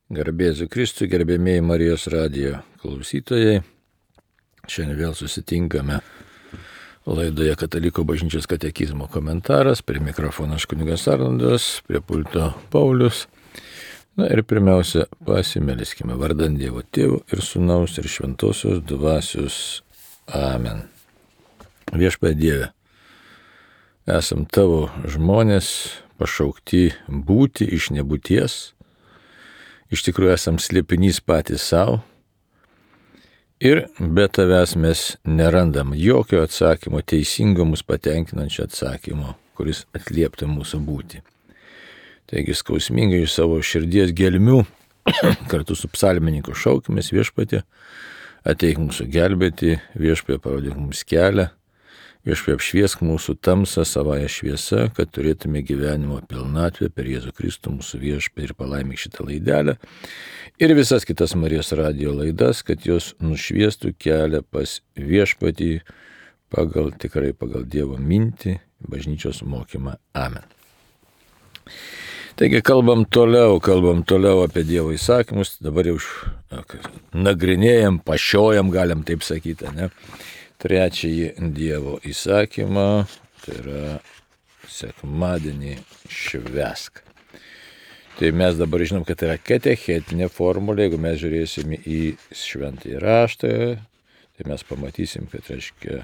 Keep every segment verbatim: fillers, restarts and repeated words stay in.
Garbėzu Kristui, gerbėmėjai Marijos radijo klausytojai. Šiandien vėl susitinkame laidoje Katalikų bažnyčios katekizmo komentaras. Prie mikrofono aš kunigas Arnoldas, prie pulto Paulius. Na ir pirmiausia, pasimeliskime vardan Dievo Tėvo ir Sūnaus ir Šventosios Dvasios. Amen. Viešpatie Dieve, esam tavo žmonės, pašaukti būti iš nebūties. Iš tikrųjų esam slėpinys patys savo ir be tavęs mes nerandam jokio atsakymo, teisingo mus patenkinančio atsakymo, kuris atlieptų mūsų būtį. Taigi skausmingai iš savo širdies gelmių kartu su psalmininku šaukimės: Viešpatie, ateik mūsų gelbėti, Viešpatie parodyk mums kelią, Viešpatie apšviesk mūsų tamsą savąją šviesą, kad turėtume gyvenimo pilnatvę per Jėzų Kristų mūsų Viešpatį, ir palaimik šitą laidelę ir visas kitas Marijos radijo laidas, kad jos nušviestų kelią pas Viešpatį pagal, tikrai pagal Dievo mintį, bažnyčios mokymą. Amen. Taigi kalbam toliau, kalbam toliau apie Dievo įsakymus, dabar jau nagrinėjam, pašiojam, galim taip sakyti, ne? Trečiąjį Dievo įsakymą, tai yra sekmadienį švęsk. Tai mes dabar žinom, kad tai yra katechetinė formulė. Jeigu mes žiūrėsime į šventąjį raštą, tai mes pamatysim, kad reiškia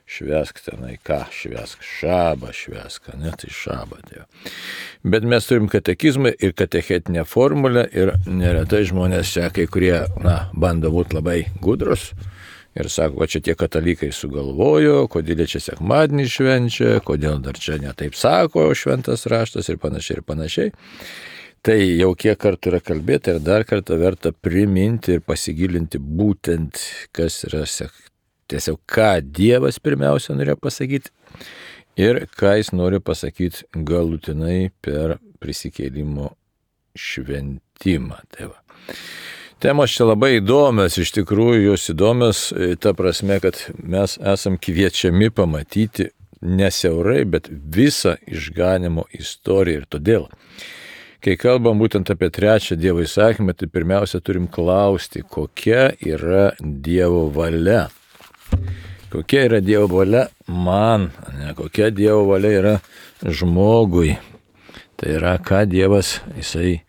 švęsk tenai ką, švęsk šabą, švęsk, ne, tai šabą. Tai. Bet mes turim katekizmą ir katechetinę formulę ir neretai žmonės čia kai kurie, na, bando būti labai gudrus. Ir sako, va čia tie katalikai sugalvojo, kodėl čia sekmadienį švenčia, kodėl dar čia netaip sako šventas raštas ir panašiai ir panašiai. Tai jau kiek kartų yra kalbėta ir dar kartą verta priminti ir pasigilinti būtent, kas yra tiesiog, ką Dievas pirmiausia norėjo pasakyti ir ką jis nori pasakyti galutinai per prisikėlimo šventimą. Tai va. Temos čia labai įdomios, iš tikrųjų jos įdomios, ta prasme, kad mes esam kviečiami pamatyti nesiaurai, bet visą išganimo istoriją. Ir todėl, kai kalbam būtent apie trečią Dievo įsakymą, tai pirmiausia turim klausti, kokia yra Dievo valia. Kokia yra Dievo valia man, ne, kokia Dievo valia yra žmogui. Tai yra, ką Dievas jisai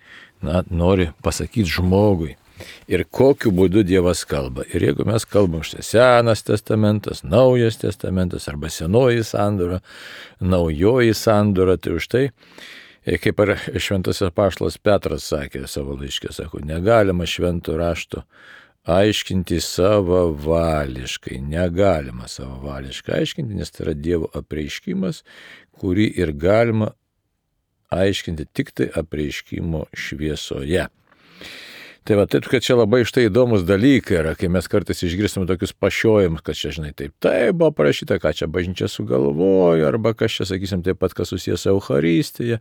na, nori pasakyti žmogui. Ir kokiu būdu Dievas kalba. Ir jeigu mes kalbam štai Senas testamentas, Naujas testamentas arba Senoji sandora, Naujoji sandora, tai už tai, kaip ir šventasis apaštalas Petras sakė savo laiške, sako, negalima švento rašto aiškinti savavališkai, negalima savavališkai aiškinti, nes tai yra Dievo apreiškimas, kurį ir galima aiškinti tik tai apreiškimo šviesoje. Tai va, taip, kad čia labai štai įdomus dalykai yra, kai mes kartais išgirstame tokius pašiojimus, kad čia, žinai, taip, taip buvo parašyta, ką čia bažnyčia sugalvojo, arba kas čia, sakysim, taip pat, kas susijęs su Eucharistija,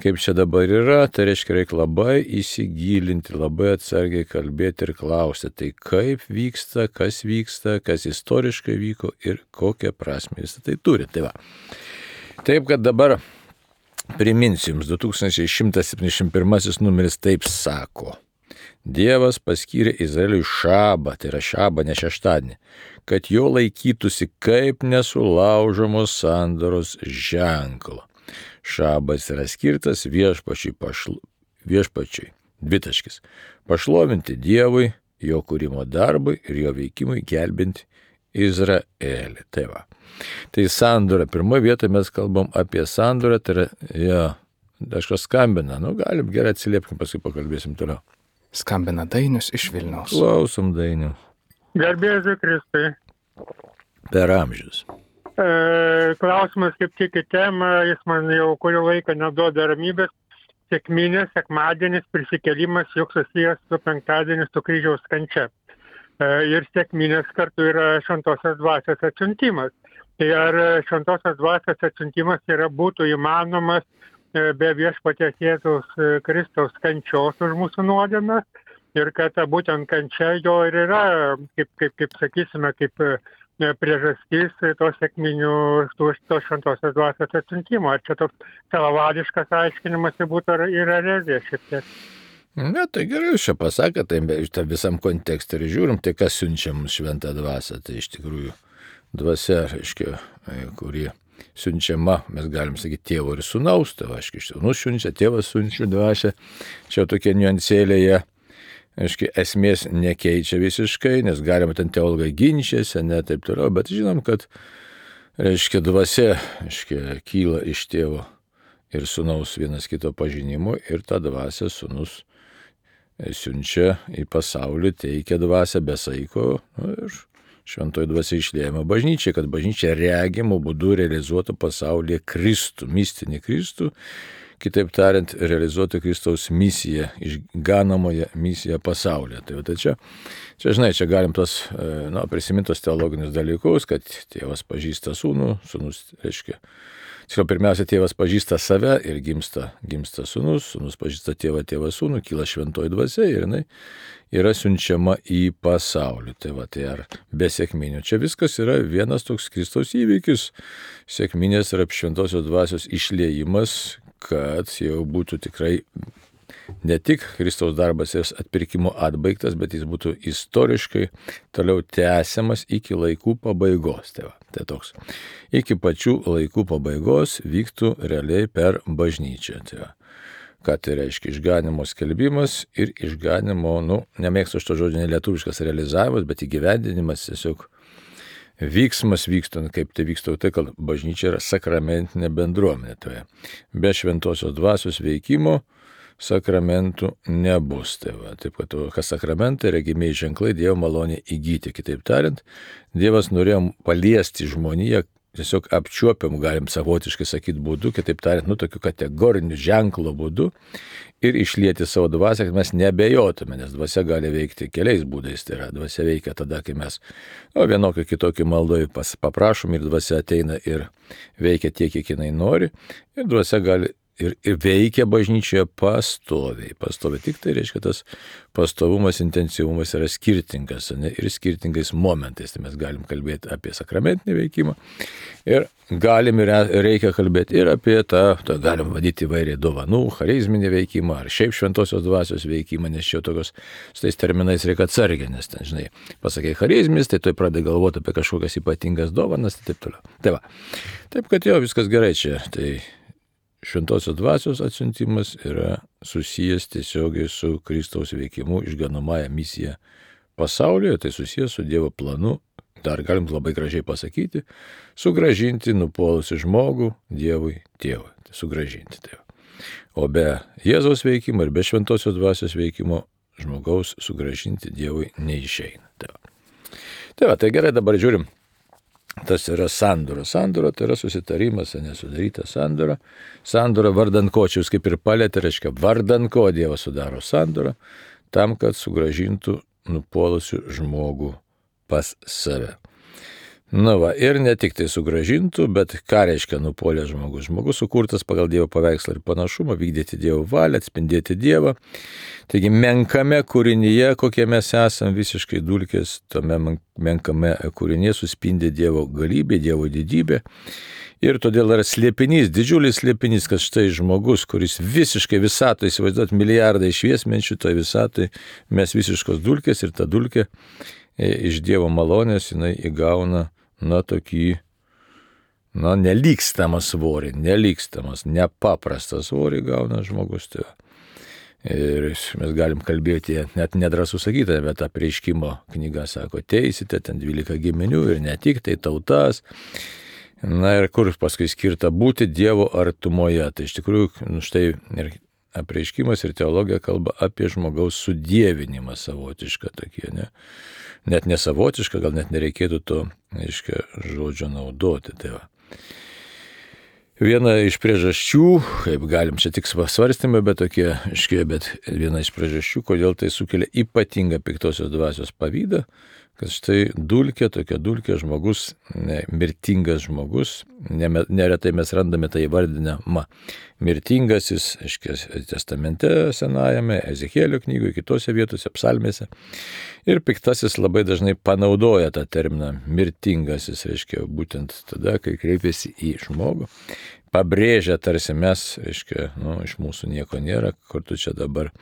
kaip čia dabar yra, tai reiškia, reikia labai įsigilinti, labai atsargiai kalbėti ir klausti, tai kaip vyksta, kas vyksta, kas istoriškai vyko ir kokią prasmę jis tai turi. Tai va. Taip, kad dabar priminsiu jums, du tūkstančiai šimtas septyniasdešimt pirmasis numeris taip sako. Dievas paskyrė Izraeliui šabą, tai yra šabą, ne šeštadienį, kad jo laikytųsi kaip nesulaužomos sandoros ženklo. Šabas yra skirtas viešpačiui, pašl... viešpačiui dvitaškis, pašlovinti Dievui, jo kūrimo darbui ir jo veikimui gelbinti Izraelį. Tai va. Tai sandora, pirmoje vietoje mes kalbam apie sandorą, tai yra, jo, kažkas skambina, nu galim gerai atsiliepkim, paskui pakalbėsim toliau. Skambina Dainius iš Vilniaus. Klausom, Dainių. Garbėzu Kristui. Per amžius. E, klausimas kaip tik į temą, jis man jau kurį laiką neduoda ramybės. Sekminės, sekmadienis, prisikėlimas, juk susijęs su penktadienis, su kryžiaus kančia. E, ir sekminės kartu yra šventosios dvasios atsiuntimas. Tai ar šventosios dvasios atsiuntimas yra būtų įmanomas be viešpaties Jėzaus Kristaus kančios už mūsų nuodėmes ir kad būtent kančia jo ir yra, kaip, kaip, kaip sakysime, kaip priežastis to sekminių, to šventosios dvasios atsiuntimo. Ar čia toks savavališkas aiškinimas būtų ir erezija šiek tiek? Na, tai gerai, jūs čia pasakė, tai tą visam kontekstą ir žiūrim, tai kas siunčia mums šventą dvasią, tai iš tikrųjų dvasia, reiškia, kuri siunčiama, mes galim sakyti, tėvo ir sūnaus, tai aiškiai, sūnus siunčia, tėvas siunčia dvasią, čia tokie niuansėlėje, aiškiai, esmės nekeičia visiškai, nes galima ten teologai ginčiasi, ne taip toliau, bet žinom, kad, reiškia, dvasia, aiškiai, kyla iš tėvo ir sūnaus vienas kito pažinimo ir tą dvasią sūnus siunčia į pasaulį, teikia dvasią be saiko nu, ir šventoji dvasia išliejama bažnyčiai, kad bažnyčia regimo būdu realizuotų pasaulyje Kristų, mistinį Kristų, kitaip tariant, realizuotų Kristaus misiją, išganomoje misiją pasaulyje. Tai, tai čia, čia, žinai, čia galim tos, na, prisimintos teologinius dalykus, kad tėvas pažįsta sūnų, sūnus, reiškia, tiksliau, pirmiausia, tėvas pažįsta save ir gimsta, gimsta sūnus, sūnus pažįsta tėvą, tėvą sūnų, kyla šventoji dvasia ir jinai yra siunčiama į pasaulį. Tai va, tai ar be sėkminių. Čia viskas yra vienas toks Kristaus įvykis, sėkminės ir šventosios dvasios išliejimas, kad jau būtų tikrai ne tik Kristaus darbas ir atpirkimo atbaigtas, bet jis būtų istoriškai toliau tęsiamas iki laikų pabaigos. Tai, va, tai toks. Iki pačių laikų pabaigos vyktų realiai per bažnyčią. Tai va. Ką tai reiškia? Išganimo skelbimas ir išganimo, nu, nemėgstu šito žodžio nelietuviškas realizavimas, bet įgyvendinimas tiesiog vyksmas vykstant, kaip tai vyksta, tai kad bažnyčia yra sakramentinė bendruomenė. Tai be šventosios dvasios veikimo sakramentų nebus. Tai va, taip, kad kas sakramentai, regimiai ženklai, Dievo malonė įgyti. Kitaip tariant, Dievas norėjo paliesti žmoniją, tiesiog apčiuopiam, galim savotiškai sakyti būdu, kitaip tariant, nu, tokiu kategoriniu ženklo būdu ir išlieti savo dvasią, kad mes nebejotume, nes dvasia gali veikti keliais būdais. Tai yra, dvasia veikia tada, kai mes nu, vienokį kitokį maldoj paprašom ir dvasia ateina ir veikia tiek, kiek jinai nori ir dvasia gali Ir, ir veikia bažnyčioje pastoviai. Pastoviai tik tai reiškia, tas pastovumas, intensyvumas yra skirtingas, ne, ir skirtingais momentais. Tai mes galim kalbėti apie sakramentinį veikimą ir galim ir reikia kalbėti ir apie tą, tą galim vadyti įvairiai dovanų, charizminį veikimą ar šiaip šventosios dvasios veikimą, nes čia tokios su tais terminais reikia atsargiai, nes ten, žinai, pasakai charizmis, tai tu pradedi galvoti apie kažkokias ypatingas dovanas ir taip toliau. Tai va, taip kad jo, viskas gerai čia. Tai šventosios dvasios atsiuntimas yra susijęs tiesiogiai su Kristaus veikimu išganomąją misiją pasaulyje, tai susijęs su Dievo planu, dar galim labai gražiai pasakyti, sugražinti nupuolusi žmogų Dievui tėvui, tai sugražinti tėvą. O be Jėzaus veikimo ir be šventosios dvasios veikimo žmogaus sugražinti Dievui neišeina. Tai va, tai, va, tai gerai, dabar žiūrim. Tas yra sandora. Sandora tai yra susitarimas, nesudaryta sandora. Sandora vardan ko, čia jūs kaip ir palėtė, reiškia vardan ko Dievas sudaro sandorą, tam, kad sugražintų nupuolusių žmogų pas save. Na va, ir ne tik tai sugražintų, bet ką reiškia nupuolęs žmogus? Žmogus sukurtas pagal Dievo paveikslą ir panašumą, vykdyti Dievo valią, atspindėti Dievą. Taigi menkame kūrinyje, kokie mes esame, visiškai dulkės, tame menkame kūrinyje suspindi Dievo galybė, Dievo didybė. Ir todėl yra slėpinys, didžiulis slėpinys, kad štai žmogus, kuris visiškai visatoje, įsivaizduot milijardai šviesmenčių, toje visatoje mes visiškos dulkės ir ta dulkė iš Dievo malonės jinai įgauna na tokį, na nelygstamas svorį, nelygstamas, nepaprastas svorį gauna žmogus. Tai. Ir mes galim kalbėti, net nedrąsų sakyti, bet apreiškimo knyga sako, teisite ten dvylika giminių ir ne tik tai tautas. Na ir kur paskui skirta būti Dievo artumoje. Tai iš tikrųjų, nu štai ir apreiškimas ir teologija kalba apie žmogaus sudievinimą savotišką tokie, ne? Net nesavotišką, gal net nereikėtų to, aiškia, žodžio naudoti. Tai va. Viena iš priežasčių, kaip galim čia tik svarstymai, bet tokie, aiškiai, bet viena iš priežasčių, kodėl tai sukelia ypatingą piktosios dvasios pavydą, kad štai dulkė, tokia dulkė žmogus, ne, mirtingas žmogus, ne, neretai mes randame tai įvardinama mirtingasis, aiškiai, testamente senajame, Ezechielio knygoje, kitose vietose, psalmėse. Ir piktasis labai dažnai panaudoja tą terminą mirtingasis, reiškia, būtent tada, kai kreipiasi į žmogų, pabrėžia tarsi mes, reiškia, nu, iš mūsų nieko nėra, kur tu čia dabar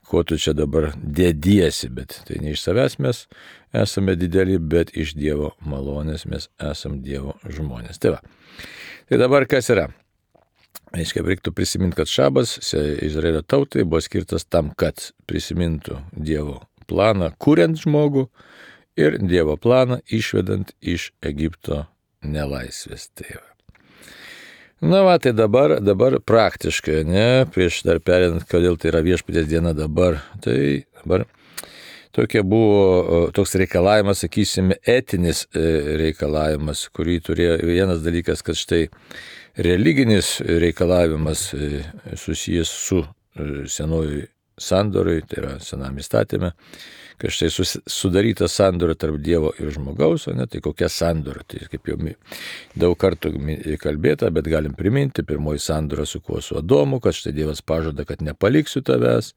ko tu čia dabar dėdiesi, bet tai ne iš savęs mes esame dideli, bet iš Dievo malonės mes esame Dievo žmonės. Tai va. Tai dabar kas yra? Aiškiai, reiktų prisiminti, kad šabas Izraelio tautai buvo skirtas tam, kad prisimintų Dievo planą, kuriant žmogų ir Dievo planą išvedant iš Egipto nelaisvės. Tai va. Na va, tai dabar, dabar praktiškai, ne, prieš dar perėdant, kodėl tai yra viešpaties diena dabar, tai dabar tokia buvo, toks reikalavimas, sakysime, etinis reikalavimas, kurį turėjo vienas dalykas, kad štai religinis reikalavimas susijęs su senojui sandorui, tai yra senam įstatyme, kad štai sudaryta sandora tarp Dievo ir žmogaus, o ne, tai kokia sandora, tai kaip jau daug kartų kalbėta, bet galim priminti, pirmoji sandora su kuo, su Adomu, kad štai Dievas pažada, kad nepaliksiu tavęs,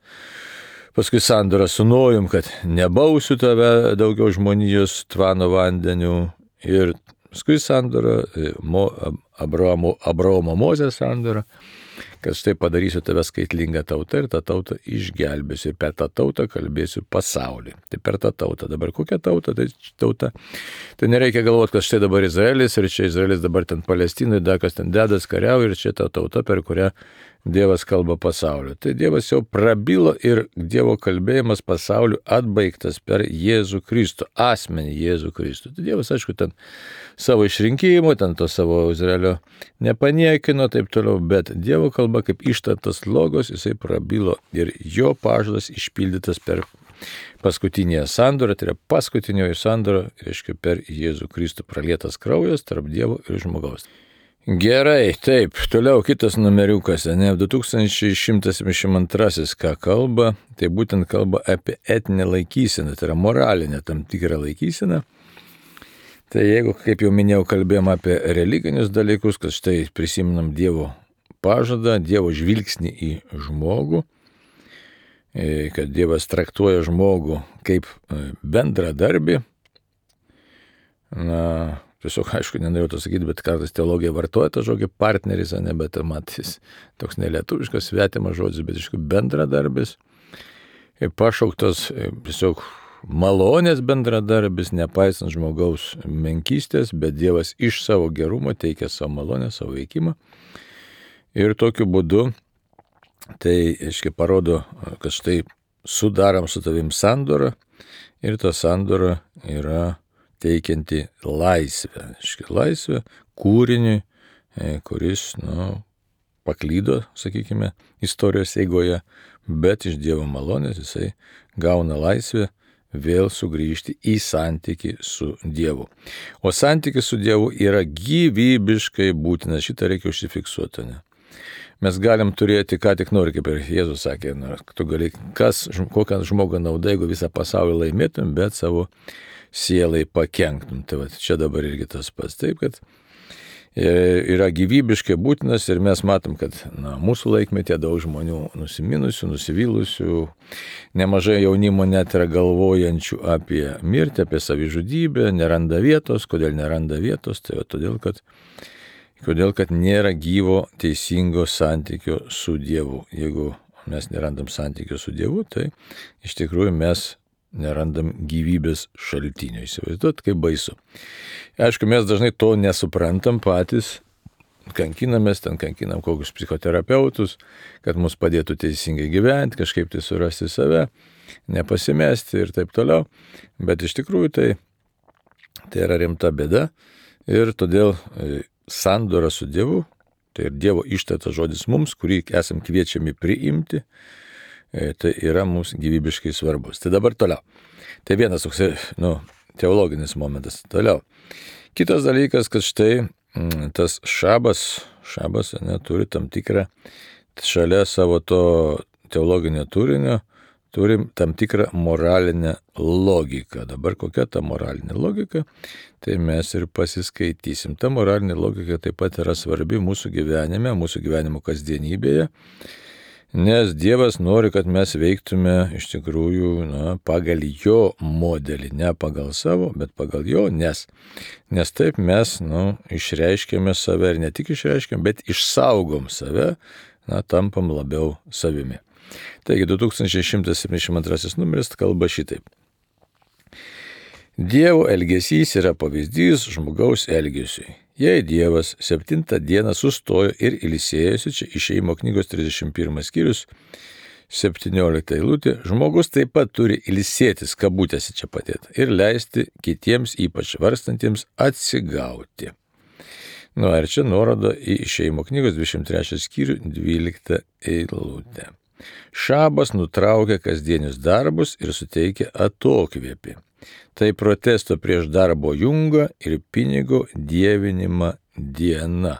paskui sandora su Nojum, kad nebausiu tave daugiau žmonijos tvano vandeniu, ir paskui sandora, Abraomo, Abraomo Mozės sandora, kad štai padarysiu tave skaitlingą tautą ir tą tautą išgelbėsiu ir per tą tautą kalbėsiu pasaulį. Tai per tą tautą. Dabar kokia tauta? Tai tauta. Tai nereikia galvoti, kad štai dabar Izraelis ir čia Izraelis dabar ten Palestinai, dar kas ten dedas kariauja ir čia ta tauta, per kurią Dievas kalba pasauliu. Tai Dievas jau prabilo ir Dievo kalbėjimas pasauliu atbaigtas per Jėzų Kristų, asmenį Jėzų Kristų. Tai Dievas, aišku, ten savo išrinkimo, ten to savo Izraelio nepaniekino, taip toliau, bet Dievo kalba kaip ištartas logos, jisai prabilo ir jo pažadas išpildytas per paskutinėje sandorą, tai yra paskutinioji sandora, reiškia per Jėzų Kristų pralietas kraujas tarp Dievo ir žmogaus. Gerai, taip, toliau kitas numeriukas, ne, du tūkstančiai šimtas septyniasdešimt antrasis, ką kalba, tai būtent kalba apie etinę laikyseną, tai yra moralinę tam tikrą laikyseną. Tai jeigu, kaip jau minėjau, kalbėjom apie religinius dalykus, kad štai prisiminam Dievo pažadą, Dievo žvilgsnį į žmogų, kad Dievas traktuoja žmogų kaip bendradarbį, na, tiesiog, aišku, nenorėjau to sakyti, bet kartais teologija vartoja tą žodį partneris, ne, bet matys toks nelietuviškas svetimas žodis, bet iš tikrųjų bendradarbis, pašauktas tiesiog malonės bendradarbis, nepaisant žmogaus menkystės, bet Dievas iš savo gerumo teikia savo malonę, savo veikimą. Ir tokiu būdu tai, aiškiai, parodo, kad štai sudarom su tavim sandorą ir ta sandora yra teikianti laisvę, aiškiai, laisvę kūriniui, kuris, nu, paklydo, sakykime, istorijos eigoje, bet iš Dievo malonės jisai gauna laisvę vėl sugrįžti į santykį su Dievu. O santykis su Dievu yra gyvybiškai būtinas, šitą reikia užsifiksuoti. Ne? Mes galim turėti, ką tik nori, kaip ir Jėzus sakė, nu, tu gali, kas, kokią žmogą nauda, jeigu visą pasaulį laimėtum, bet savo sielai pakenktum. Tai va, čia dabar irgi tas pats. Taip, kad yra gyvybiškai būtinas ir mes matom, kad na, mūsų laikmetė daug žmonių nusiminusių, nusivylusių, nemažai jaunimo net yra galvojančių apie mirtį, apie savižudybę, neranda vietos. Kodėl neranda vietos? Tai va, todėl, kad, todėl, kad nėra gyvo teisingo santykio su Dievu. Jeigu mes nerandam santykio su Dievu, tai iš tikrųjų mes nerandam gyvybės šaltinio. Įsivaizduot, kaip baisu. Aišku, mes dažnai to nesuprantam patys, kankinamės, ten kankinam kokius psichoterapeutus, kad mus padėtų teisingai gyventi, kažkaip tai surasti save, nepasimesti ir taip toliau. Bet iš tikrųjų tai, tai yra rimta bėda ir todėl sandora su Dievu, tai ir Dievo ištartas žodis mums, kurį esam kviečiami priimti, tai yra mums gyvybiškai svarbus. Tai dabar toliau. Tai vienas toks, nu, teologinis momentas. Toliau. Kitas dalykas, kad štai tas šabas, šabas ne, turi tam tikrą, šalia savo to teologinio turinio, turim tam tikrą moralinę logiką. Dabar kokia ta moralinė logika, tai mes ir pasiskaitysim. Ta moralinė logika taip pat yra svarbi mūsų gyvenime, mūsų gyvenimo kasdienybėje, nes Dievas nori, kad mes veiktume iš tikrųjų na, pagal jo modelį, ne pagal savo, bet pagal jo, nes, nes taip mes nu, išreiškėme save ir ne tik išreiškėme, bet išsaugom save, na, tampam labiau savimi. Taigi du tūkstančiai šimtas septyniasdešimt antrasis numeris kalba šitaip. Dievo elgesys yra pavyzdys žmogaus elgesiui. Jei Dievas septintą dieną sustojo ir ilsėjosi, čia Išėjimo knygos trisdešimt pirmas skyrius, septyniolikta eilutė, žmogus taip pat turi ilsėtis, kabutėse čia padėta, ir leisti kitiems, ypač varstantiems, atsigauti. Nu, ir čia nuoroda į Išėjimo knygos dvidešimt trečią skyrių, dvyliktą eilutę. Šabas nutraukia kasdienius darbus ir suteikia atokvėpį. Tai protesto prieš darbo jungą ir pinigo dievinimą diena.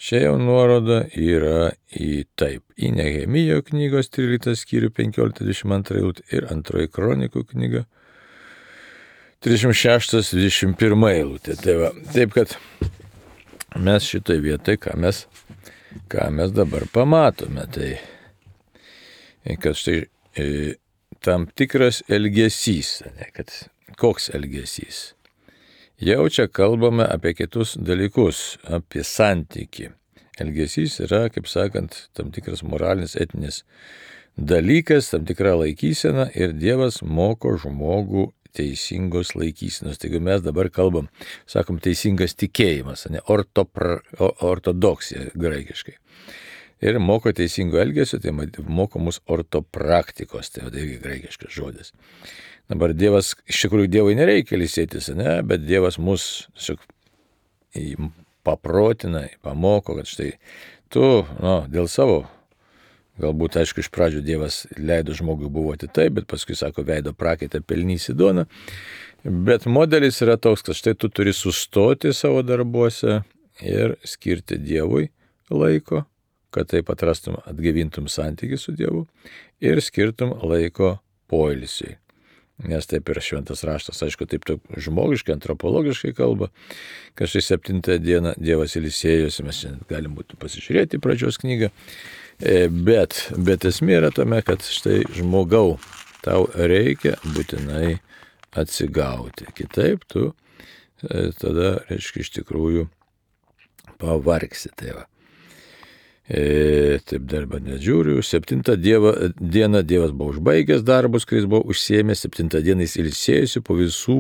Čia jau nuoroda yra į taip, į Nehemijo knygos tryliktą skyrių penkioliktą dvidešimt antrą eilutę ir antroji kronikų knyga trisdešimt šeštas dvidešimt pirma eilutė. Tai va, taip kad mes šitoj vietoj, ką mes, ką mes dabar pamatome, tai kad štai e, tam tikras elgesys, ne, kad koks elgesys. Jau čia kalbame apie kitus dalykus, apie santykį. Elgesys yra, kaip sakant, tam tikras moralinis, etinis dalykas, tam tikra laikysena ir Dievas moko žmogų teisingos laikysenos. Taigi mes dabar kalbam, sakom, teisingas tikėjimas, ne, ortopra, ortodoksija graikiškai. Ir moko teisingo elgesio, tai moko mus ortopraktikos, tai irgi graikiškas žodis. Dabar Dievas, iš tikrųjų Dievui nereikia ilsėtis, ne, bet Dievas mus tiesiog paprotina, pamoko, kad štai tu, nu, dėl savo, galbūt, aišku, iš pradžių Dievas leido žmogui buvoti taip, bet paskui, sako, veido prakaitą pelnysi duoną. Bet modelis yra toks, kad štai tu turi sustoti savo darbuose ir skirti Dievui laiko, kad taip atrastum, atgaivintum santykį su Dievu ir skirtum laiko poilsiui. Nes taip ir šventas raštas, aišku, taip žmogiškai, antropologiškai kalba, kad štai septintą dieną Dievas ilsėjosi, mes šiandien galim būtų pasižiūrėti pradžios knygą, bet, bet esmė yra tame, kad štai žmogau, tau reikia būtinai atsigauti. Kitaip tu tada, reiškia, iš tikrųjų pavargsi. Tai va. E, taip darbą nedžiūriu. Septintą dieva, dieną Dievas buvo užbaigęs darbus, kuris buvo užsiėmęs. Septintą dieną jis ilsėjosi po visų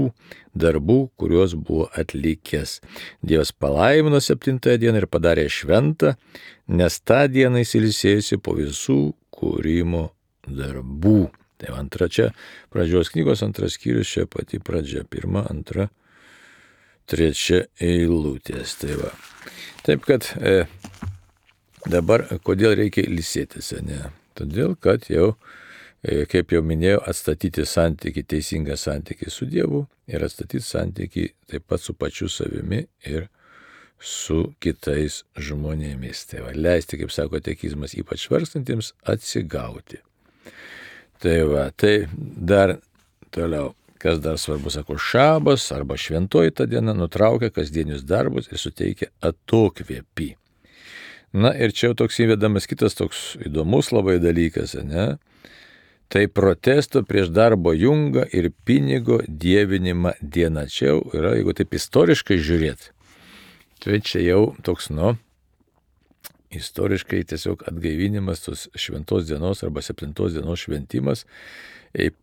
darbų, kuriuos buvo atlikęs. Dievas palaimino septintąją dieną ir padarė šventą, nes tą dieną jis ilsėjosi po visų kūrimo darbų. Tai antra čia pradžios knygos, antras skyrius, čia pati pradžia, pirma, antra, trečia eilutės. Tai va. Taip kad e, dabar, kodėl reikia ilsėtis, ne? Todėl, kad jau, kaip jau minėjau, atstatyti santykį, teisingą santykį su Dievu ir atstatyti santykį taip pat su pačiu savimi ir su kitais žmonėmis. Tai va, leisti, kaip sako tekizmas, ypač varstantiems atsigauti. Tai va, tai dar toliau, kas dar svarbu, sako, šabas arba šventoji ta diena nutraukia kasdienius darbus ir suteikia atokvėpį. Na ir čia jau toks įvedamas kitas toks įdomus labai dalykas, ne? Tai protesto prieš darbo jungą ir pinigo dievinimą diena. Čia jau yra, jeigu taip istoriškai žiūrėti, tai čia jau toks, nu, istoriškai tiesiog atgaivinimas tos šventos dienos arba septintos dienos šventimas,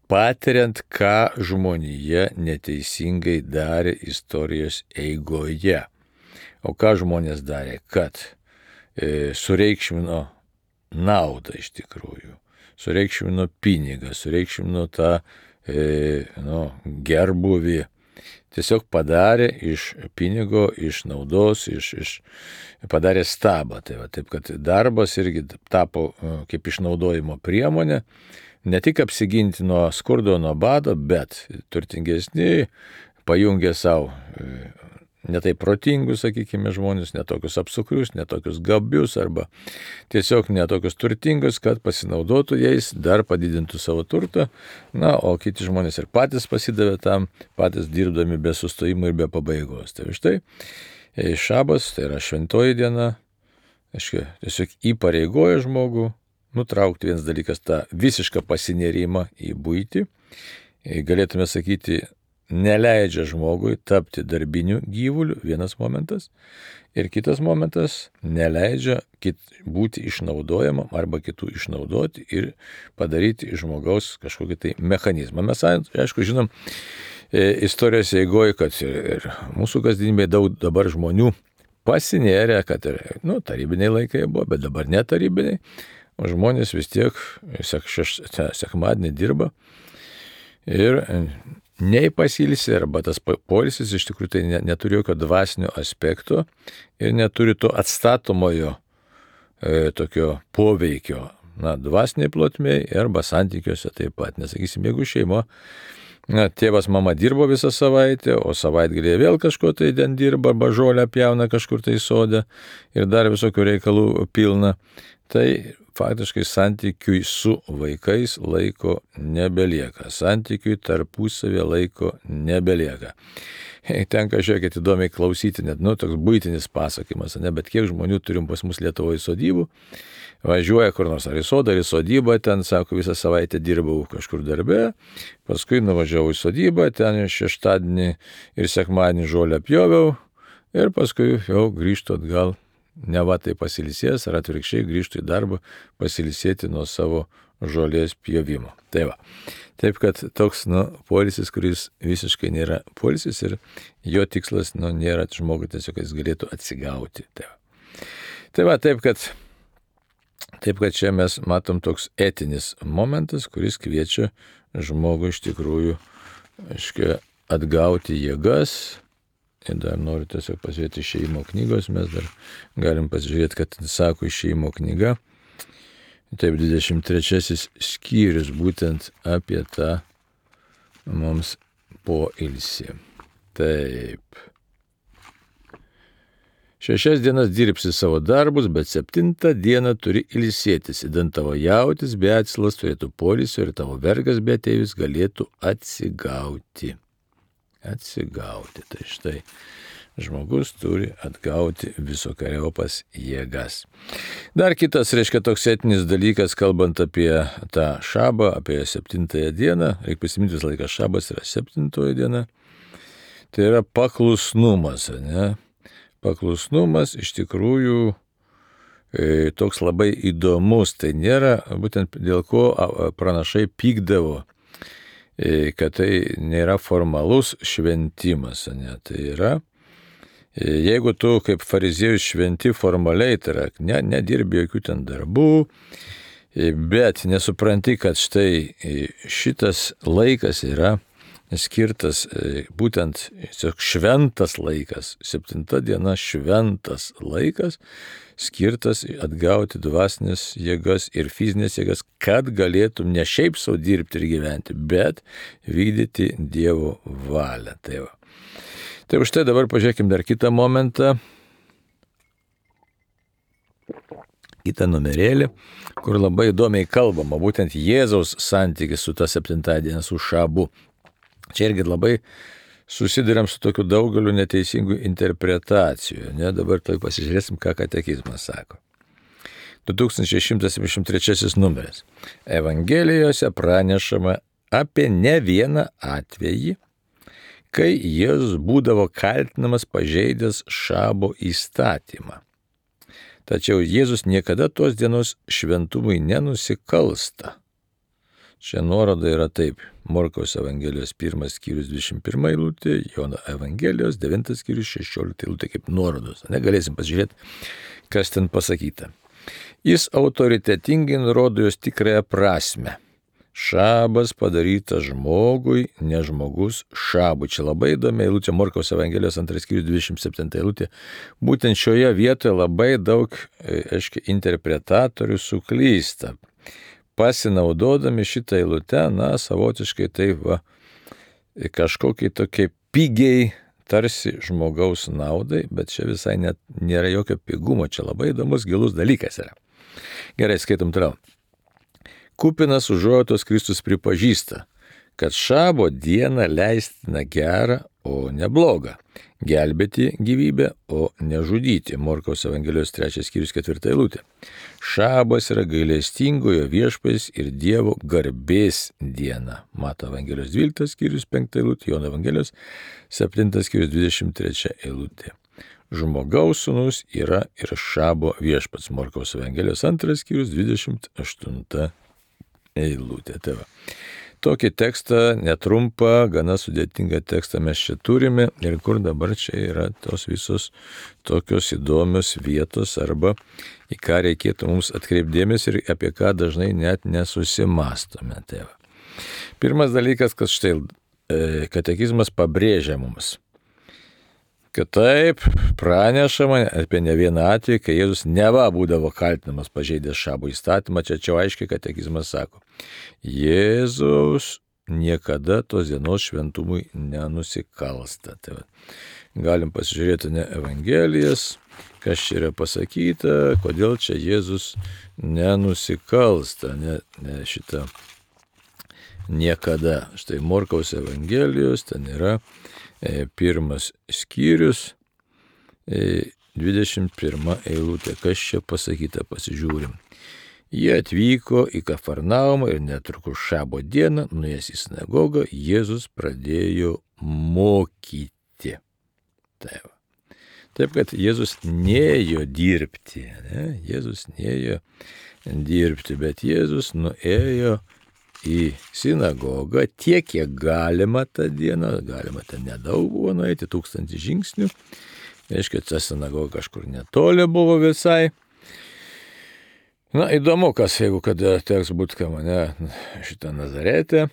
patiriant, ką žmonija neteisingai darė istorijos eigoje. O ką žmonės darė? Kad sureikšmino naudą iš tikrųjų, sureikšmino pinigą, sureikšmino tą e, nu, gerbuvį. Tiesiog padarė iš pinigo, iš naudos, iš, iš, padarė stabą. Tai va, taip, kad darbas irgi tapo kaip išnaudojimo priemonė, ne tik apsiginti nuo skurdo, nuo bado, bet turtingesni pajungė savo netai protingus, sakykime, žmonės, netokius apsukrius, netokius gabius arba tiesiog netokius turtingus, kad pasinaudotų jais, dar padidintų savo turtą, na, o kiti žmonės ir patys pasidavė tam, patys dirbdami be sustojimo ir be pabaigos. Tai štai, šabas, tai yra šventoji diena, aiškiai, tiesiog įpareigoja žmogų nutraukti vienas dalykas tą visišką pasinėrimą į buitį, galėtume sakyti, neleidžia žmogui tapti darbiniu gyvuliu, vienas momentas, ir kitas momentas neleidžia kit, būti išnaudojamam arba kitų išnaudoti ir padaryti iš žmogaus kažkokį tai mechanizmą. Mes, aišku, žinom istorijos eigoje, kad ir, ir mūsų kasdienybėje daug dabar žmonių pasinėrė, kad ir, nu, tarybiniai laikai buvo, bet dabar netarybiniai, o žmonės vis tiek sek, šeš, sekmadienį dirba ir nei pasilsi, arba tas poilsis iš tikrųjų tai neturi jokio dvasinio aspekto ir neturi to atstatomojo e, tokio poveikio, na, dvasiniai plotmėj arba santykiuose taip pat. Nesakysim, jeigu šeima, na, tėvas, mama dirbo visą savaitę, o savaitgalėje vėl kažko tai ten dirba, arba žolę pjauna kažkur tai sode ir dar visokių reikalų pilna, tai faktiškai santykiui su vaikais laiko nebelieka. Santykiui tarpusavė laiko nebelieka. Tenka, žiūrėkit, įdomiai klausyti, net, nu, toks buitinis pasakymas, ne, bet kiek žmonių turim pas mus Lietuvoje sodybų, važiuoja kur nors ar į sodą, ar į sodybą, ten, sako, visą savaitę dirbau kažkur darbe, paskui nuvažiavau į sodybą, ten šeštadienį ir sekmadienį žolę pjoviau ir paskui jau grįžtu atgal. Ne va tai pasilisės, ar atvirkščiai grįžtų į darbą pasilisėti nuo savo žolės pjovimo. Tai va. Taip, kad toks, nu, poilsis, kuris visiškai nėra poilsis ir jo tikslas, nu, nėra žmogui tiesiog, kad jis galėtų atsigauti. Tai va. Tai va, taip, kad, taip, kad čia mes matom toks etinis momentas, kuris kviečia žmogų iš tikrųjų, aiškiai, atgauti jėgas. Ir dar noriu tiesiog pasižiūrėti Išėjimo knygos, mes dar galim pasižiūrėti, kad sako Išėjimo knyga, taip, dvidešimt trečiasis skyrius būtent apie tą mums poilsį. Taip. Šešias dienas dirbsi savo darbus, bet septintą dieną turi ilsėtis, įdant tavo jautis be atsilas turėtų poilsio ir tavo vergas be ateivis galėtų atsigauti. Atsigauti. Tai štai žmogus turi atgauti visokeriopas jėgas. Dar kitas, reiškia, toks etinis dalykas, kalbant apie tą šabą, apie septintąją dieną, reikia prisiminti visą laiką, šabas yra septintoji diena, tai yra paklusnumas, ne? Paklusnumas iš tikrųjų e, toks labai įdomus, tai nėra, būtent dėl ko pranašai pykdavo, kad tai nėra formalus šventimas, ne? Tai yra, jeigu tu kaip fariziejus šventi formaliai, tai yra, ne, nedirbi jokių ten darbų, bet nesupranti, kad štai šitas laikas yra skirtas būtent šventas laikas, septinta diena šventas laikas, skirtas atgauti dvasinės jėgas ir fizinės jėgas, kad galėtum ne šiaip savo dirbti ir gyventi, bet vykdyti Dievo valią. Tai va. Tai už tai dabar pažiūrėkime dar kitą momentą, kitą numerėlį, kur labai įdomiai kalbama, būtent Jėzaus santykis su ta septinta diena, su šabu. Čia irgi labai susiduriam su tokiu daugeliu neteisingų interpretacijų. Ne? Dabar tai pasižiūrėsim, ką katekizmas sako. du tūkstančiai šimtas septyniasdešimt trečiasis numeris. Evangelijose pranešama apie ne vieną atvejį, kai Jėzus būdavo kaltinamas pažeidęs šabo įstatymą. Tačiau Jėzus niekada tos dienos šventumui nenusikalsta. Čia nuoroda yra taip. Morkaus Evangelijos pirmas skyrius dvidešimt pirma eilutė, Jono Evangelijos devintas skyrius šešiolikta eilutė kaip nuorodos. Negalėsim pasižiūrėti, kas ten pasakyta. Jis autoritetingai nurodo jos tikrąją prasme. Šabas padarytas žmogui, ne žmogus šabui. Čia labai įdomi eilutė, Morkaus Evangelijos antras skyrius dvidešimt septinta eilutė. Būtent šioje vietoje labai daug, aiškiai, interpretatorių suklysta. Pasinaudodami šitą eilutę, na, savotiškai tai va, kažkokiai tokiai pigiai, tarsi žmogaus naudai, bet čia visai net nėra jokio pigumo, čia labai įdomus, gilus dalykas yra. Gerai, skaitom toliau. Kupinas užuojautos Kristus pripažįsta, kad šabo dieną leistina gera, o ne bloga. gelbėti gyvybę, o nežudyti. Morkaus Evangelijos trečias skyrius ketvirta eilutė. Šabas yra gailestingojo viešpats ir Dievo garbės diena. Mato Evangelijos dvyliktas skyrius penkta eilutė, Jono Evangelijos septintas skyrius dvidešimt trečia eilutė. Žmogaus sūnus yra ir Šabo viešpats. Morkaus Evangelijos antras skyrius dvidešimt aštunta eilutė. Tai va. Tokį tekstą, netrumpą, gana sudėtingą tekstą mes čia turime ir kur dabar čia yra tos visos tokios įdomios vietos arba į ką reikėtų mums atkreipdėmės ir apie ką dažnai net nesusimastome. Tai va. Pirmas dalykas, kad štai katekizmas pabrėžia mums, kad taip pranešama apie ne vieną atvejį, kai Jėzus neva būdavo kaltinamas pažeidęs Šabo įstatymą, čia čia aiškiai katekizmas sako, Jėzus niekada tos dienos šventumui nenusikalsta. Tai va, galim pasižiūrėti ne Evangelijas, kas čia yra pasakyta, kodėl čia Jėzus nenusikalsta, ne, ne šitą niekada. Štai Morkaus Evangelijos, ten yra pirmas skyrius, dvidešimt pirma eilutė. Kas čia pasakyta, pasižiūrim. Jie atvyko į Kafarnaumą ir netrukus Šabo dieną, nuėjęs į sinagogą, Jėzus pradėjo mokyti. Taip, Taip kad Jėzus neėjo dirbti, ne? Jėzus neėjo dirbti, bet Jėzus nuėjo į sinagogą tiek, kiek galima tą dieną, galima ten nedaug buvo nueiti, tūkstantį žingsnių, reiškia, ta sinagoga kažkur netoli buvo visai. Na, įdomu, kas, jeigu kada teks būti, ką mane šitą Nazarete,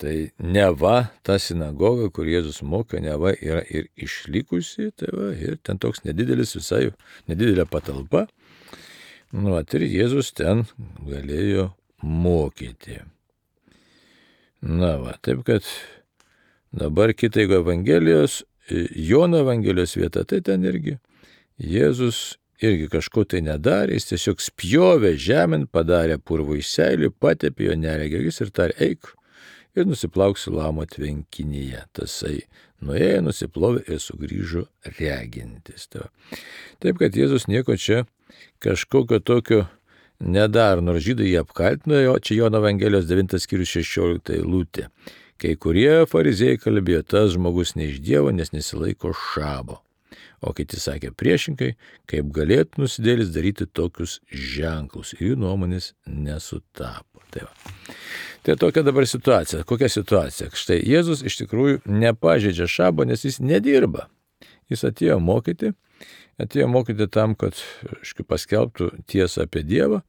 tai neva ta sinagoga, kur Jėzus mokė, neva yra ir išlikusi, tai va, ir ten toks nedidelis visai, nedidelė patalpa, nu, ir Jėzus ten galėjo mokyti. Na va, taip kad dabar kita Evangelijos, Jono Evangelijos vieta, tai ten irgi Jėzus irgi kažko tai nedarė, jis tiesiog spjovė žemėn, padarė purvo iš seilių, patepė jo neregis ir tarė, eik ir nusiplauk Siloamo tvenkinyje. Tasai nuėjo, nusiplovė ir sugrįžo regintis. Taip kad Jėzus nieko čia kažkokio tokio nedar, nors žydai jį apkaltino, o čia Jono Evangelijos devintas skyrius šešiolikta eilutė. Kai kurie fariziejai kalbėjo, tas žmogus ne iš Dievo, nes nesilaiko Šabo. O kiti sakė priešingai, kaip galėtų nusidėlis daryti tokius ženklus. Ir jų nuomonės nesutapo. Tai, tai tokia dabar situacija. Kokia situacija? Štai Jėzus iš tikrųjų nepažeidžia Šabo, nes jis nedirba. Jis atėjo mokyti. Atėjo mokyti tam, kad škai, paskelbtų tiesą apie Dievą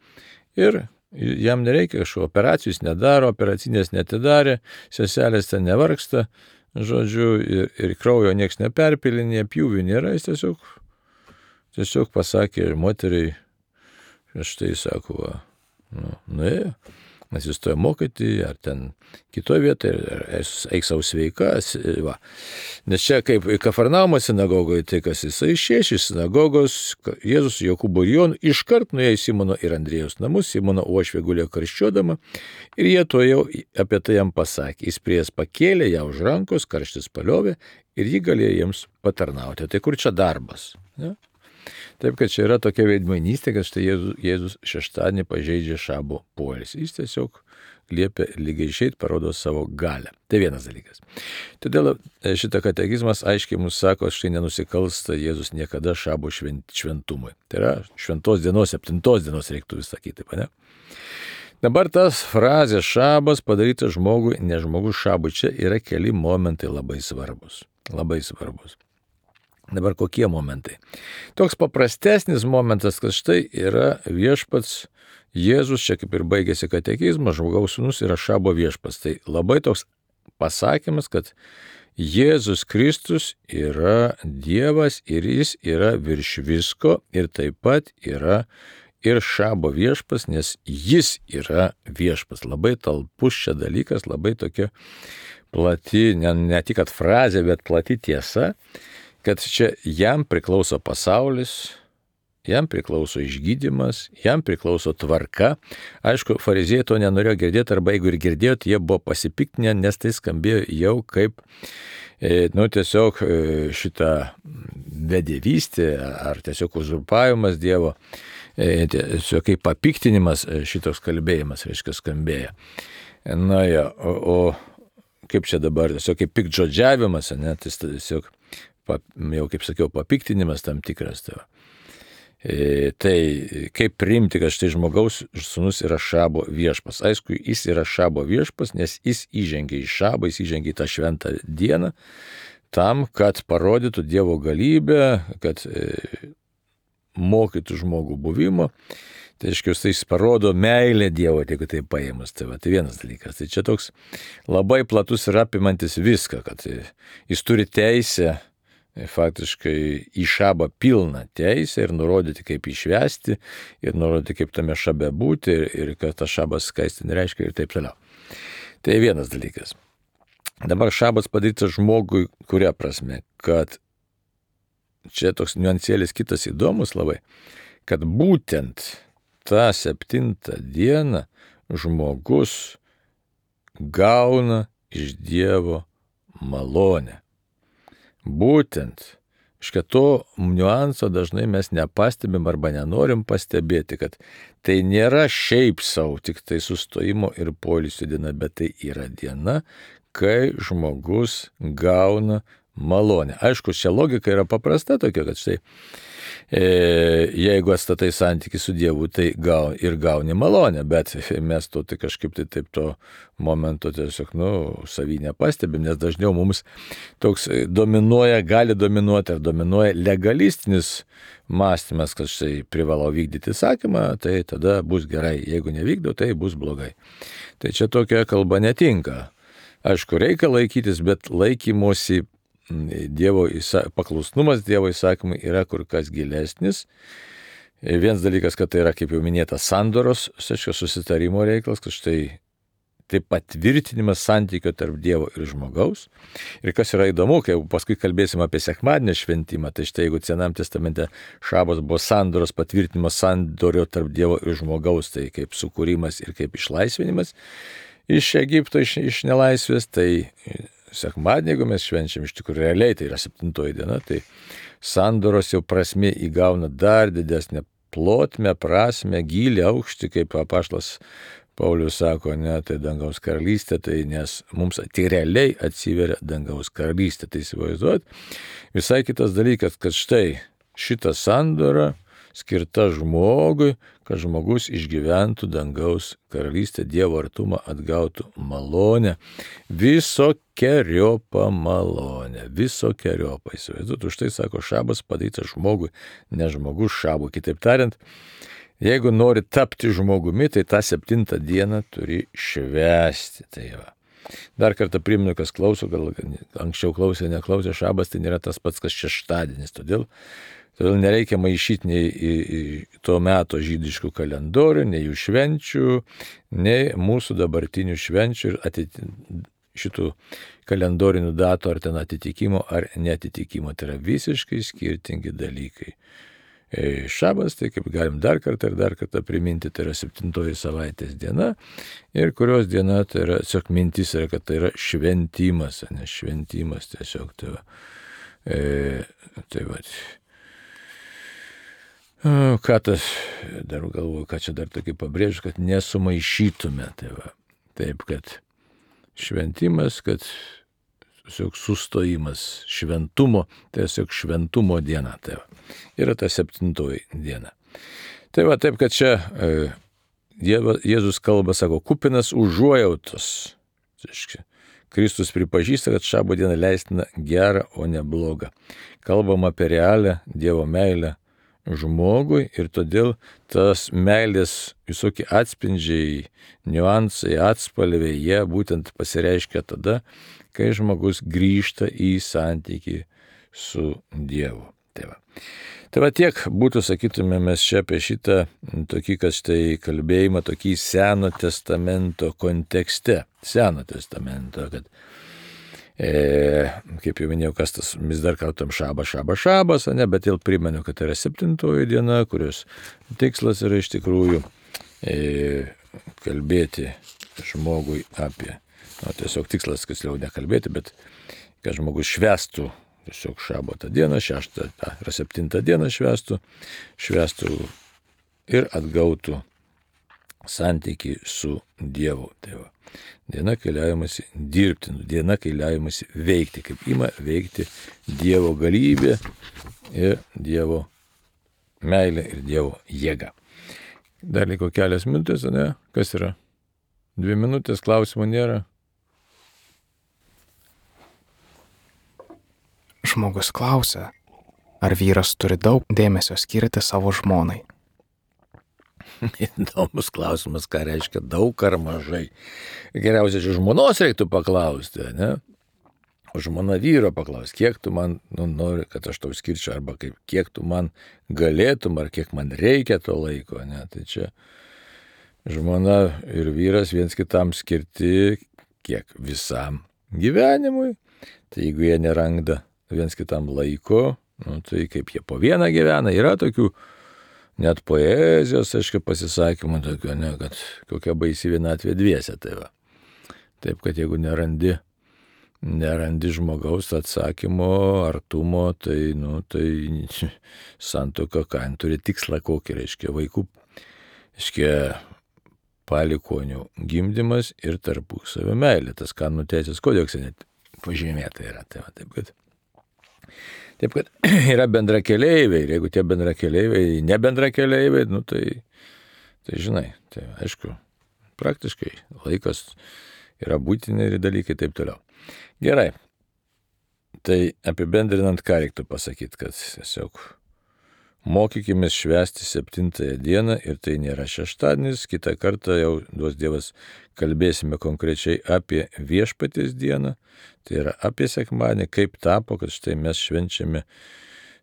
ir jam nereikia kažko operacijų, jis nedaro, operacinės netidarė, seselės ten nevargsta, žodžiu, ir, ir kraujo nieks neperpilinė, pjūvių nėra, jis tiesiog, tiesiog pasakė moteriai, štai sako, va, nu, nuėjo. Nes jis toje mokyti, ar ten kitoje vietoje, ar eik savo sveikas. Va. Nes čia kaip Kafarnaumo sinagogoje, tai kas jisai išėjo iš sinagogos, Jėzus su Jokūbu ir Jonu iškart nuėjo į Simono ir Andriejaus namus, Simono uošvė gulėjo karščiuodama ir jie to jau apie tai jam pasakė. Jis prie jas pakėlė ją už rankos, karštis paliovė ir ji galėjo jiems patarnauti. Tai kur čia darbas? Ne? Taip, kad čia yra tokia veidmainystė, kad štai Jėzus, Jėzus šeštadienį pažeidžia Šabo poilsį. Jis tiesiog liepia lygiai išeit, parodo savo galią. Tai vienas dalykas. Todėl šitą katekizmas aiškiai mums sako, štai nenusikalsta Jėzus niekada Šabo švent, šventumui. Tai yra šventos dienos, septintos dienos reiktų vis sakyti, ne? Dabar tas frazė Šabas padarytas žmogui, ne žmogus Šabui, čia yra keli momentai labai svarbus. Labai svarbus. Dabar kokie momentai? Toks paprastesnis momentas, kad štai yra viešpats Jėzus, čia kaip ir baigėsi katekizmas, žmogaus sūnus yra Šabo viešpats. Tai labai toks pasakymas, kad Jėzus Kristus yra Dievas ir jis yra virš visko ir taip pat yra ir Šabo viešpats, nes jis yra viešpats. Labai talpus čia dalykas, labai tokia plati, ne, ne tik kad frazė, bet plati tiesa, kad čia jam priklauso pasaulis jam priklauso išgydymas, jam priklauso tvarka. Aišku, fariziejai to nenorėjo girdėti, arba jeigu ir girdėjot, jie buvo pasipiktinę, nes tai skambėjo jau kaip, nu, tiesiog šitą bedevystę ar tiesiog uzurpavimas Dievo, tiesiog kaip papiktinimas šitos kalbėjimas, reiškia, skambėjo. Na ja, o, o kaip čia dabar, tiesiog kaip piktžodžiavimas, ne, tai tiesiog, jau kaip sakiau, papiktinimas tam tikras. Tai, e, tai kaip priimti, kad štai žmogaus sūnus yra Šabo viešpas. Aišku, jis yra Šabo viešpas, nes jis įžengia į Šabą, jis įžengia į tą šventą dieną, tam, kad parodytų Dievo galybę, kad e, mokytų žmogų buvimo. Tai aiškiai, jis parodo meilę Dievo, jeigu tai paėmus. Tai, va, tai vienas dalykas. Tai čia toks labai platus ir apimantis viską, kad jis turi teisę, faktiškai į Šabą pilną teisę ir nurodyti, kaip išvesti, ir nurodyti, kaip tame Šabe būti, ir, ir kad tas Šabas skaistin reiškia ir taip toliau. Tai vienas dalykas. Dabar Šabas padarytas žmogui, kuria prasme, kad čia toks niuansėlis kitas įdomus labai, kad būtent tą septintą dieną žmogus gauna iš Dievo malonę. Būtent, škia to niuanso dažnai mes nepastebim arba nenorim pastebėti, kad tai nėra šiaip savo, tik tai sustojimo ir poilsio diena, bet tai yra diena, kai žmogus gauna malonę. Aišku, čia logika yra paprasta tokia, kad štai E, jeigu atstatai santykį su Dievu, tai gau, ir gauni malonę, bet mes to tai kažkaip tai taip to momento tiesiog, nu, savy nepastebim, nes dažniau mums toks dominuoja, gali dominuoti ar dominuoja legalistinis mąstymas, kad štai privalau vykdyti įsakymą, tai tada bus gerai, jeigu nevykdau, tai bus blogai. Tai čia tokia kalba netinka. Aišku, reikia laikytis, bet laikymosi Dievo paklusnumas Dievo įsakymui yra kur kas gilesnis. Vienas dalykas, kad tai yra, kaip jau minėta, sandoros, susitarimo reikalas, kad štai tai patvirtinimas santykio tarp Dievo ir žmogaus. Ir kas yra įdomu, kai paskui kalbėsim apie sekmadienio šventimą, tai štai jeigu Senam testamente Šabas buvo sandoros patvirtinimas sandorio tarp Dievo ir žmogaus, tai kaip sukūrimas ir kaip išlaisvinimas iš Egipto, iš, iš nelaisvės, tai sekmadienį, jeigu mes švenčiam iš tikrųjų realiai, tai yra septintoji diena, tai sandoros jau prasmė įgauna dar didesnę plotmę, prasmę, gylį, aukštį, kaip apaštalas Paulius sako, ne, tai dangaus karalystė, tai nes mums tai realiai atsiveria dangaus karalystė. Tai įsivaizduot, visai kitas dalykas, kad štai šita sandora skirta žmogui, kad žmogus išgyventų dangaus karalystę, Dievo artumą, atgautų malonę, visokeriopą malonę, visokeriopą. Įsivaizduot, už tai sako Šabas padarytas žmogui, ne žmogus Šabui. Kitaip tariant, jeigu nori tapti žmogumi, tai tą septintą dieną turi švęsti. Tai va. Dar kartą primenu, kas klauso, gal anksčiau klausė, neklausė, Šabas tai nėra tas pats, kas šeštadienis. Todėl Todėl nereikia maišyti nei į, į to meto žydiškų kalendorių, nei jų švenčių, nei mūsų dabartinių švenčių ir atiti, šitų kalendorinių datų ar ten atitikimo ar netitikimo. Tai yra visiškai skirtingi dalykai. Šabas, tai kaip galim dar kartą ir dar kartą priminti, tai yra septintoji savaitės diena ir kurios diena tai yra, tiesiog mintis yra, kad tai yra šventimas, ne šventimas tiesiog. Tai va. E, tai va. Ką tas, dar galvoju, ką čia dar tokį pabrėžiu, kad nesumaišytume. Tai va. Taip, kad šventimas, kad tiesiog sustojimas šventumo, tai tiesiog šventumo diena. Tai va. Yra ta septintoji diena. Tai va, taip, kad čia e, Jėzus kalba, sako, kupinas užuojautos. Kristus pripažįsta, kad šabo diena leistina gera, o ne bloga. Kalbam apie realią Dievo meilę žmogui ir todėl tas meilės visokie atspindžiai, niuansai, atspalviai, jie būtent pasireiškia tada, kai žmogus grįžta į santykį su Dievu. Tai va. Tai va tiek būtų, sakytume, mes čia apie šitą tokį, kad štai kalbėjimą tokį Seno testamento kontekste. Seno testamento, kad E, kaip jau minėjau, kas tas, vis dar kartam šabas, šabas, šabas, ne, bet vėl primenu, kad tai yra septintoji diena, kurios tikslas yra iš tikrųjų e, kalbėti žmogui apie, nu, tiesiog tikslas, kas jau nekalbėti, bet kad žmogus švęstų tiesiog šabatą dieną, šeštą, ta, yra septintą dieną švęstų, švęstų ir atgautų santykį su Dievu. Tai va. Diena, kai leidžiamasi dirbti, diena, kai leidžiamasi veikti, kaip ima veikti Dievo galybė ir Dievo meilė ir Dievo jėga. Dar liko kelias minutės, ne? Kas yra? Dvi minutės, klausimų nėra. Žmogus klausia, ar vyras turi daug dėmesio skirti savo žmonai. Įdomus klausimas, ką reiškia daug ar mažai. Geriausia, čia žmonos reiktų paklausti, ne? O žmona vyro paklausti, kiek tu man nu, nori, kad aš tau skirčiau, arba kaip, kiek tu man galėtum, ar kiek man reikia to laiko, ne? Tai čia žmona ir vyras viens kitam skirti kiek visam gyvenimui. Tai jeigu jie neranda viens kitam laiko, nu, tai kaip jie po vieną gyvena, yra tokių net poezijos, aišku, pasisakymų tokio, ne, kad kokia baisi vienatvė dviese, tai va. Taip, kad jeigu nerandi, nerandi žmogaus atsakymo, artumo, tai, nu, tai santuoka, ką, turi tikslą kokį, reiškia, vaikų, reiškia, palikonių gimdymas ir tarpusavio meilė. Tas kanonų teisės kodekse net pažymėta yra, tai va, taip, kad Taip, kad yra bendrakeleiviai ir jeigu tie bendrakeleiviai, ne bendrakeleiviai, nu tai, tai žinai, tai aišku, praktiškai laikas yra būtini ir dalykai taip toliau. Gerai, tai apibendrinant, ką reiktų pasakyti, kad tiesiog mokykimės švęsti septintąją dieną ir tai nėra šeštadienis, kitą kartą jau duos Dievas kalbėsime konkrečiai apie viešpaties dieną, tai yra apie sekmadienį, kaip tapo, kad štai mes švenčiame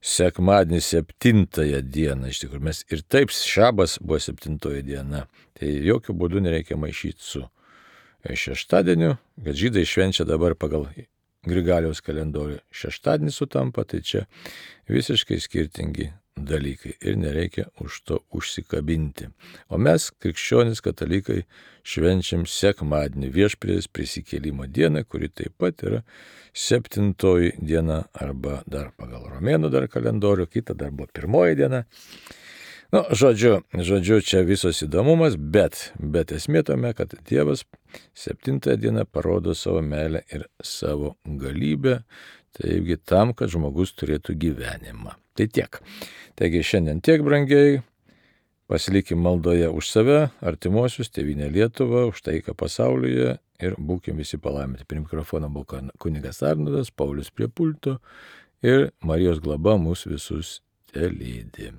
sekmadienį septintąją dieną, iš tikrųjų mes ir taip šabas buvo septintoji diena, tai jokių būdų nereikia maišyti su šeštadieniu, kad žydai švenčia dabar pagal Grigaliaus kalendorių šeštadienį sutampa, tai čia visiškai skirtingi dalykai ir nereikia už to užsikabinti. O mes, krikščionys katalikai, švenčiam sekmadienį viešpaties prisikėlimo dieną, kuri taip pat yra septintoji diena arba dar pagal romėnų dar kalendorių, kita dar buvo pirmoji diena. Nu, žodžiu, žodžiu, čia visos įdomumas, bet, bet esmė tame, kad Dievas septintąją dieną parodo savo meilę ir savo galybę, taigi tam, kad žmogus turėtų gyvenimą. Tai tiek. Taigi šiandien tiek, brangiai, pasilikim maldoje už save, artimuosius, tėvynę Lietuvą, už taiką pasaulyje ir būkim visi palaiminti. Prie mikrofono buvo kunigas Arnoldas, Paulius prie pulto ir Marijos globa mus visus telydi.